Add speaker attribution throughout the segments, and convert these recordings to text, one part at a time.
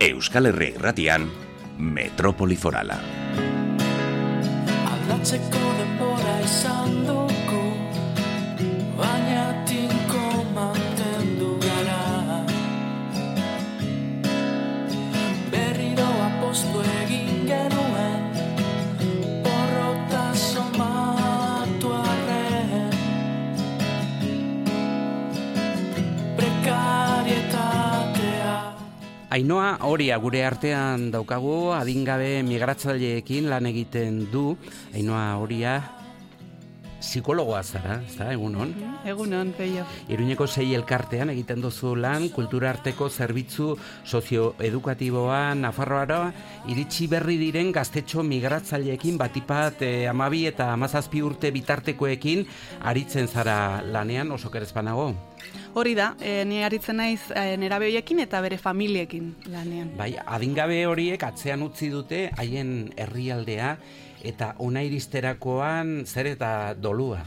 Speaker 1: Euskal Herria Irratian, Metropoli Forala.
Speaker 2: Aldatzeko denbora izan dugu, baina tinko mantendu gara. Berriro apostu egin genuen, porrota somatu arren. Prekarietatea.
Speaker 3: Ainhoa Oria gure artean daukagu, adingabe migratzaileekin lan egiten du. Ainhoa Oria psikologoa zara, ezta, egunon?
Speaker 4: Egunon, peio.
Speaker 3: Iruñeko 6 elkartean egiten duzu lan, kultura arteko zerbitzu sozioedukatiboa Nafarroara iritsi berri diren gaztetxo migratzaileekin batipat 12 eta 17 urte bitartekoekin aritzen zara lanean, oso kerezpanago.
Speaker 4: Hori da, ni aritzen naiz nerabe horiekin eta bere familiekin lanean.
Speaker 3: Bai, adingabe horiek atzean utzi dute haien herrialdea eta ona iristerakoan zer eta dolua.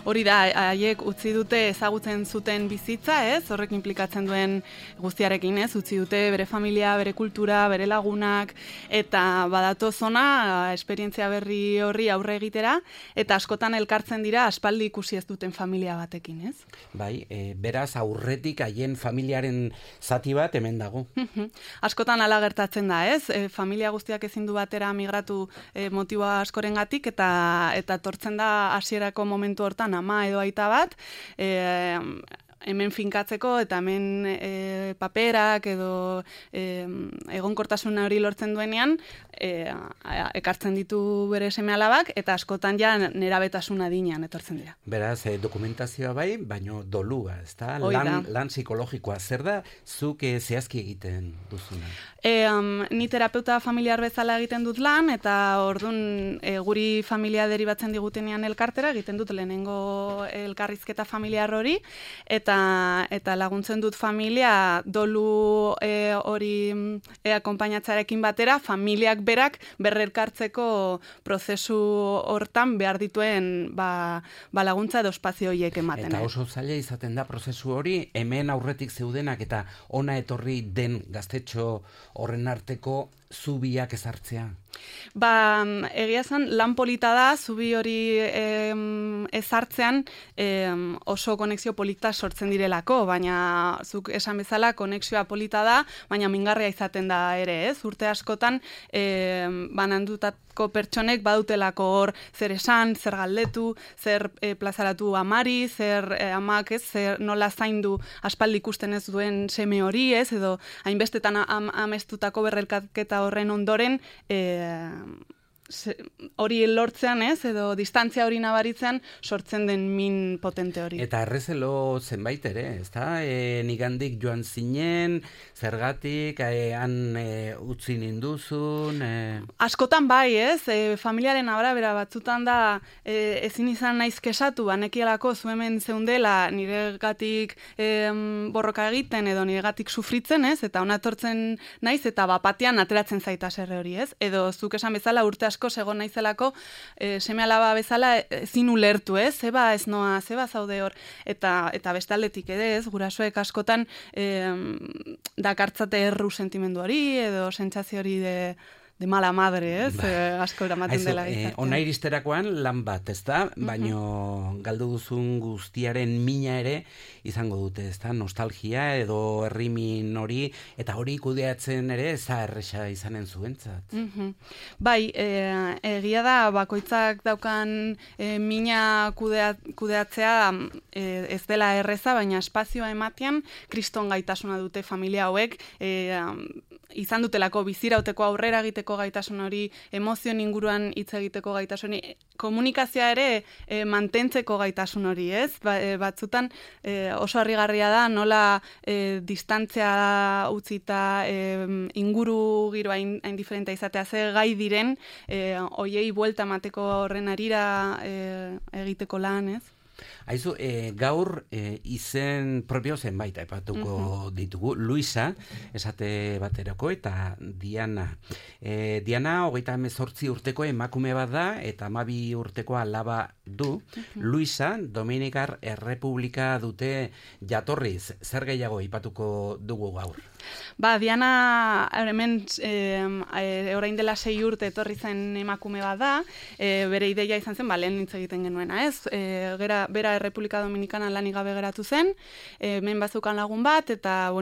Speaker 4: Hori da, haiek utzi dute ezagutzen zuten bizitza, ez? Horrek inplikatzen duen guztiarekin, ez? Utzi dute bere familia, bere kultura, bere lagunak, eta badatoz ona esperientzia berri horri aurre egitera, eta askotan elkartzen dira aspaldi ikusi ez duten familia batekin, ez?
Speaker 3: Bai, beraz aurretik haien familiaren zati bat hemen dago.
Speaker 4: Askotan hala gertatzen da, ez? Familia guztiak ezin du batera migratu motiboa askorengatik, eta tortzen da hasierako momentu hortan ama edo aita bat, hemen finkatzeko eta hemen paperak edo egonkortasuna hori lortzen duenean ekartzen ditu bere seme-alabak eta askotan ja nerabetasun adinean etortzen dira.
Speaker 3: Beraz, dokumentazioa bai, baino dolua, ezta? Lan psikologikoa, zer da zuk zehazki egiten duzuna?
Speaker 4: Ni terapeuta familiar bezala egiten dut lan, eta orduan guri familia deribatzen digutenean elkartera, egiten dut lehenengo elkarrizketa familiar hori, eta laguntzen dut familia dolu hori akonpainatzarekin batera, familiak berak berrelkartzeko prozesu hortan behar dituen laguntza edo espazio horiek ematen.
Speaker 3: Eta oso zaila izaten da prozesu hori, hemen aurretik zeudenak eta ona etorri den gaztetxo horren arteko zubiak ezartzea.
Speaker 4: Egia esan, lan polita da, zubi hori ezartzean oso konexio polita sortzen direlako, baina zuk esan bezala konexioa polita da, baina mingarria izaten da ere, ez? Urte askotan banandutako pertsonek badutelako hor zer esan, zer galdetu, zer plazaratu amari, zer amak, ez? Zer nola zaindu aspaldi ikusten ez duen seme hori, ez? Edo hainbestetan amestutako berrelkaketa horren ondoren hori lortzean, ez, edo distantzia hori nabaritzean sortzen den min potente hori.
Speaker 3: Eta errezelo zenbait ere, ezta? Nigandik joan zinen, zergatik, han utzi ninduzun...
Speaker 4: Askotan bai, ez? Familiaren arabera batzutan da ezin izan naiz kesatu, banekielako zu hemen zeundela niregatik borroka egiten edo niregatik sufritzen, ez? Eta ona etortzen naiz eta bapatean ateratzen zaita serre hori, ez? Edo zuk esan bezala urte asko segon naizelako seme-alaba bezala ezin ulertu, ez? Zeba ez noa, zeba zaude hor. Eta bestaldetik ere, ez? Gurasoek askotan dakartzate erru sentimendu hori edo sentsazio hori de mala madre, ez? Asko eramaten dela gizartean.
Speaker 3: Ona iristerakoan lan bat, ez da? Baino galdu duzun guztiaren mina ere izango dute, ez da? Nostalgia edo herrimin hori, eta hori kudeatzen ere ez da erresa izanen zuentzat.
Speaker 4: Bai, egia da, bakoitzak daukan mina kudeatzea ez dela erreza, baina espazioa ematean kriston gaitasuna dute familia hauek, izan dutelako bizirauteko aurrera egiteko gaitasun hori, emozioen inguruan hitz egiteko gaitasun hori, komunikazioa ere mantentzeko gaitasun hori, ez? Batzutan oso harrigarria da nola distantzia utzita inguru giroa hain diferentea izatea ze gai diren hoiei buelta emateko horren harira egiteko lan, ez?
Speaker 3: Aizu, gaur izen propio zenbait aipatuko ditugu. Luisa, esate baterako, eta Diana. Diana, 38 urteko emakume bat da, eta 12 urteko alaba du. Luisa, Dominikar Errepublika dute jatorriz. Zer gehiago aipatuko dugu gaur?
Speaker 4: Diana, hemen orain dela 6 urte etorri zen emakume bat da, bere ideia izan zen, lehen hitz egiten genuena, ez? Bera Errepublika Dominikanan lanik gabe geratu zen, hemen bazukan lagun bat, eta,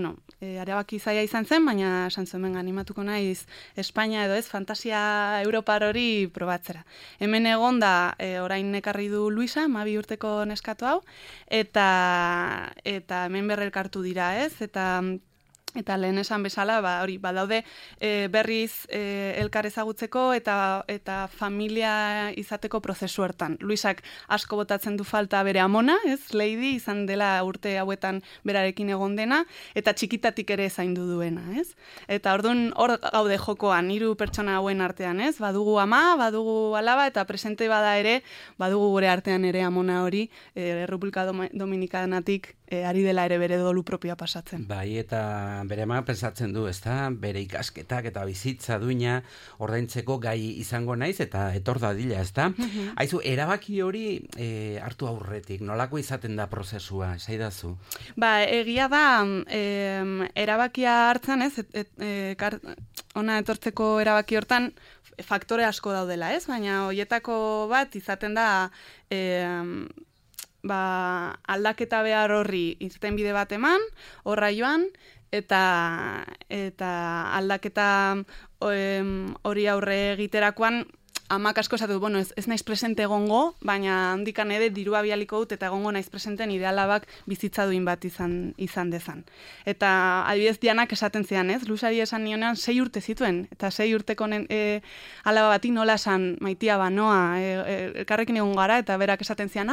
Speaker 4: arabaki zaila izan zen, baina esan zuen animatuko naiz Espainia edo ez, fantasia europar hori probatzera. Hemen egon da, orain ekarri du Luisa, 12 urteko neskatu hau, eta hemen berrelkartu dira, ez? Eta lehen esan bezala, badaude berriz elkar ezagutzeko eta familia izateko prozesu hortan. Luisak asko botatzen du falta bere amona, ez? Lady izan dela urte hauetan berarekin egon dena, eta txikitatik ere zaindu duena, ez? Eta orduan hor gaude jokoan, 3 pertsona hauen artean, ez? Badugu ama, badugu alaba, eta presente bada ere, badugu gure artean ere amona hori, Errepublika Dominikanatik ari dela ere bere dolu propioa pasatzen.
Speaker 3: Bai, eta bere ama pensatzen du, ezta? Bere ikasketak eta bizitza duina ordaintzeko gai izango naiz, eta etor dadila, ezta? Aizu, erabaki hori hartu aurretik, nolako izaten da prozesua, esaidazu?
Speaker 4: Egia da, erabakia hartzen, ez? Ona etortzeko erabaki hortan, faktore asko daudela, ez? Baina hoietako bat izaten da aldaketa behar horri irtenbide bat eman, horra joan, eta aldaketa hori aurre egiterakoan amak asko esatu, ez naiz presente egongo, baina handikan ere dirua bialiko dut eta egongo naiz presente nire alabak bizitza duin bat izan dezan. Eta adibidez Dianak esaten zidan, ez? Luisari esan nionean 6 urte zituen, eta 6 urteko alaba bati nola esan maitia banoa, elkarrekin egon gara, eta berak esaten zidan,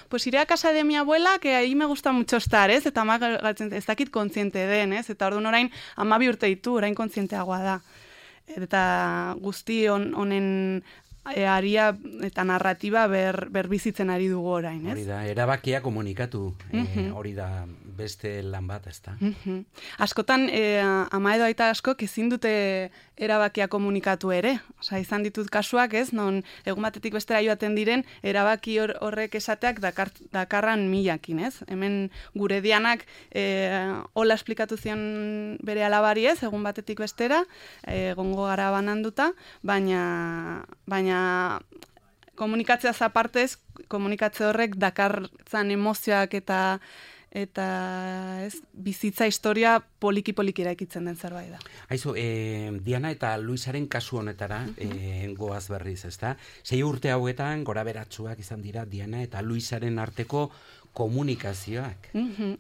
Speaker 4: pues iré a casa de mi abuela, que ahí me gusta mucho estar, ez? Eta amak ez dakit kontziente den, ez? Eta orduan orain 12 urte ditu, orain kontzienteagoa da. Eta guzti honen aria eta narratiba berbizitzen ari dugu orain, ez?
Speaker 3: Hori da, erabakia komunikatu, hori da beste lan bat, ezta?
Speaker 4: Askotan, ama edo aita askok ezin dute erabakia komunikatu ere. Osa, izan ditut kasuak, ez? Non egun batetik bestera joaten diren, erabaki horrek esateak dakarran milakin, ez? Hemen gure Dianak hola esplikatu zion bere alabari, ez? Egun batetik bestera, egongo gara bananduta, baina komunikatzea zapartez, komunikatze horrek dakartzan emozioak eta bizitza historia poliki eraikitzen den zerbait da.
Speaker 3: Aizu, Diana eta Luisaren kasu honetara goaz berriz, ezta? 6 urte hauetan gora beratsuak izan dira Diana eta Luisaren arteko komunikazioak.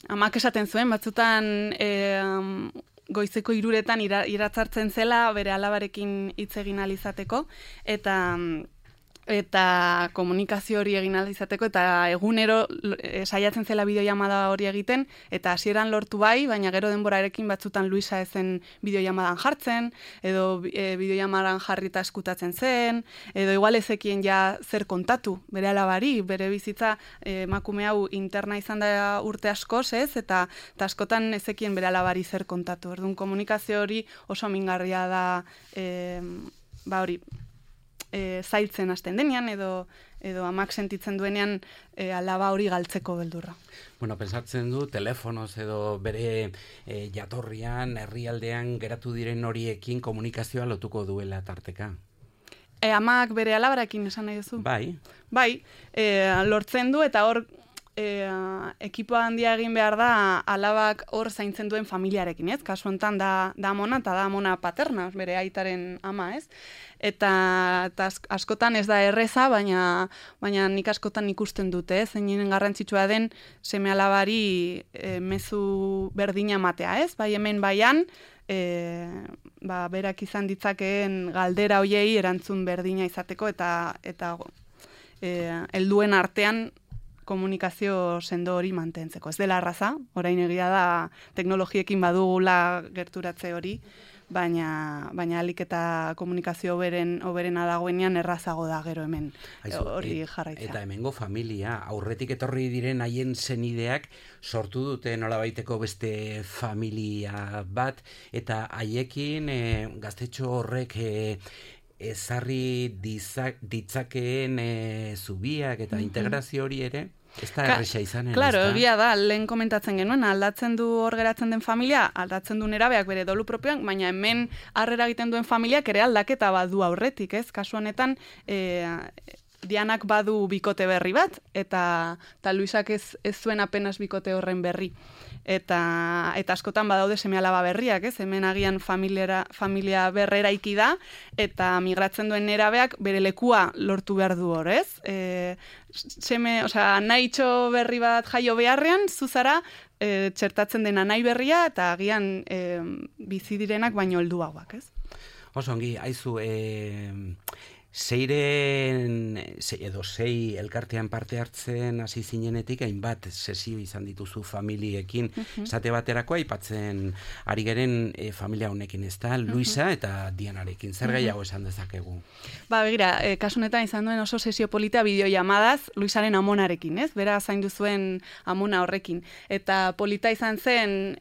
Speaker 4: Amak esaten zuen, batzutan goizeko 3etan iratzartzen zela bere alabarekin hitz egin ahal izateko, eta komunikazio hori egin ahal izateko, eta egunero saiatzen zela bideoiamada hori egiten, eta hasieran lortu bai, baina gero denborarekin batzutan Luisa ezen bideoiamadan jartzen, edo bideoiamadan jarrita eskutatzen zen, edo igual ezekien ja zer kontatu, bere alabari, bere bizitza emakume hau interna izan da urte askoz, ez? Eta askotan ezekien bere alabari zer kontatu. Orduan komunikazio hori oso mingarria da, hori, zailtzen hasten denean, edo amak sentitzen duenean alaba hori galtzeko beldurra.
Speaker 3: Pensatzen du, telefonoz edo bere jatorrian, herrialdean geratu diren horiekin komunikazioa lotuko duela tarteka.
Speaker 4: Amak bere alabarakin esan nahi duzu? Bai, lortzen du, eta hor ekipo handia egin behar da alabak hor zaintzen duen familiarekin, ez? Kasu honetan da amona, eta da amona paterna, bere aitaren ama, ez? Eta askotan ez da erreza, baina nik askotan ikusten dute, zeinen garrantzitsua den seme alabari mezu berdina matea, ez? Bai hemen baian, berak izan ditzakeen galdera hoiei erantzun berdina izateko, eta helduen artean komunikazio sendo hori mantentzeko. Ez dela arraza, orain egia da teknologiekin badugula gerturatze hori, baina alik eta komunikazio hoberena dagoenean errazago da gero hemen hori jarraitzea.
Speaker 3: Eta hemengo familia, aurretik etorri diren haien senideak sortu dute nolabaiteko beste familia bat, eta haiekin gaztetxo horrek ezarri ditzakeen zubiak eta integrazio hori ere, ez da erresa izanen.
Speaker 4: Claro, egia da, lehen komentatzen genuen, aldatzen du hor geratzen den familia, aldatzen du nerabeak bere dolu propioan, baina hemen harrera egiten duen familiak ere aldaketa badu aurretik, ez? Kasu honetan, Dianak badu bikote berri bat, eta Luisak ez zuen apenas bikote horren berri. Eta askotan badaude seme-alaba berriak, ez? Hemen agian familia berreraiki da, eta migratzen duen nerabeak bere lekua lortu behar du hor, ez? Nahitxo berri bat jaio beharrean, zuzara txertatzen dena nahi berria, eta agian bizi direnak baino helduagoak, ez?
Speaker 3: Oso ongi, haizu, sei elkartean parte hartzen hasi zinenetik hainbat sesio izan dituzu familiekin, esate baterako aipatzen ari geren familia honekin, ez da, Luisa eta Dianarekin, zer gehiago esan dezakegu?
Speaker 4: Begira, kasu honetan izan duen oso sesio polita bideollamadas Luisaren amonarekin, ez? Bera zaindu zuen amona horrekin. Eta polita izan zen,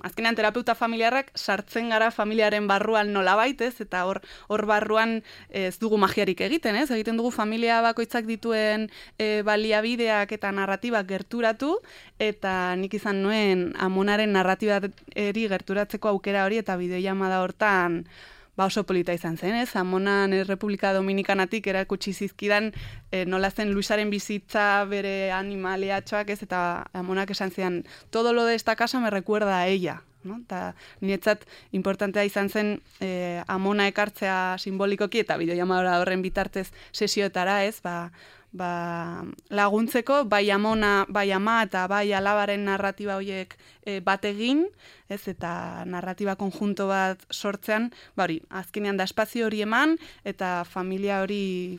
Speaker 4: azkenean terapeuta familiarrak sartzen gara familiaren barruan nolabait, ez? Eta hor barruan ez dugu magiarik egiten, ez? Egiten dugu familia bakoitzak dituen baliabideak eta narratibak gerturatu, eta nik izan nuen amonaren narratibari gerturatzeko aukera hori, eta bideoillamada hortan oso polita izan zen, ez? Amonan Republika Dominikanatik erakutsi zizkidan nola zen Luisaren bizitza bere animaliatxoak, ez? Eta amonak esan zidan, todo lo de esta casa me recuerda a ella. No? Eta niretzat importantea izan zen amona ekartzea simbolikoki eta bideoilamada horren bitartez sesioetara, ez? Laguntzeko, bai amona, bai ama eta bai alabaren narratiba horiek bat egin, ez? Eta narratiba konjunto bat sortzean, hori, azkenean da espazio hori eman, eta familia hori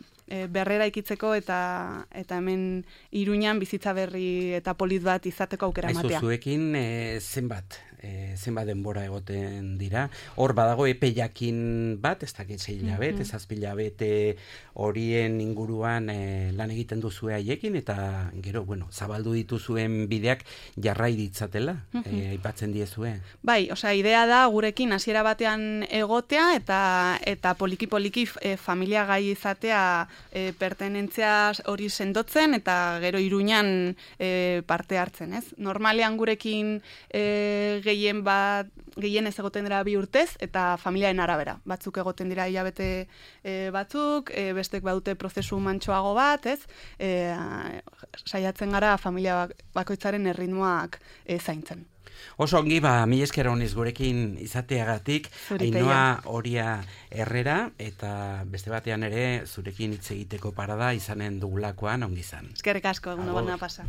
Speaker 4: berrera ikitzeko eta hemen Iruñan bizitza berri eta polit bat izateko aukera ematea.
Speaker 3: Aizu, zuekin zenbat denbora egoten dira. Hor badago epe jakin bat, ez dakit 6 hilabete, 7 hilabete horien inguruan lan egiten duzue haiekin, eta gero, zabaldu dituzuen bideak jarrai ditzatela, aipatzen diezue.
Speaker 4: Bai, idea da gurekin hasiera batean egotea eta poliki-poliki familia gai izatea pertenentzia hori sendotzen eta gero Iruñan parte hartzen, ez? Normalean gurekin gehien ez egoten dira 2 urtez eta familiaren arabera. Batzuk egoten dira hilabete batzuk, bestek badute prozesu mantsoago bat, ez? Saiatzen gara familia bakoitzaren erritmoak zaintzen.
Speaker 3: Oso ongi, mila esker honiz gurekin izateagatik, Ainhoa Oria Herrera, eta beste batean ere zurekin hitz egiteko parada izanen dugulakoan ongi izan.
Speaker 4: Eskerrik asko, egun ona pasa.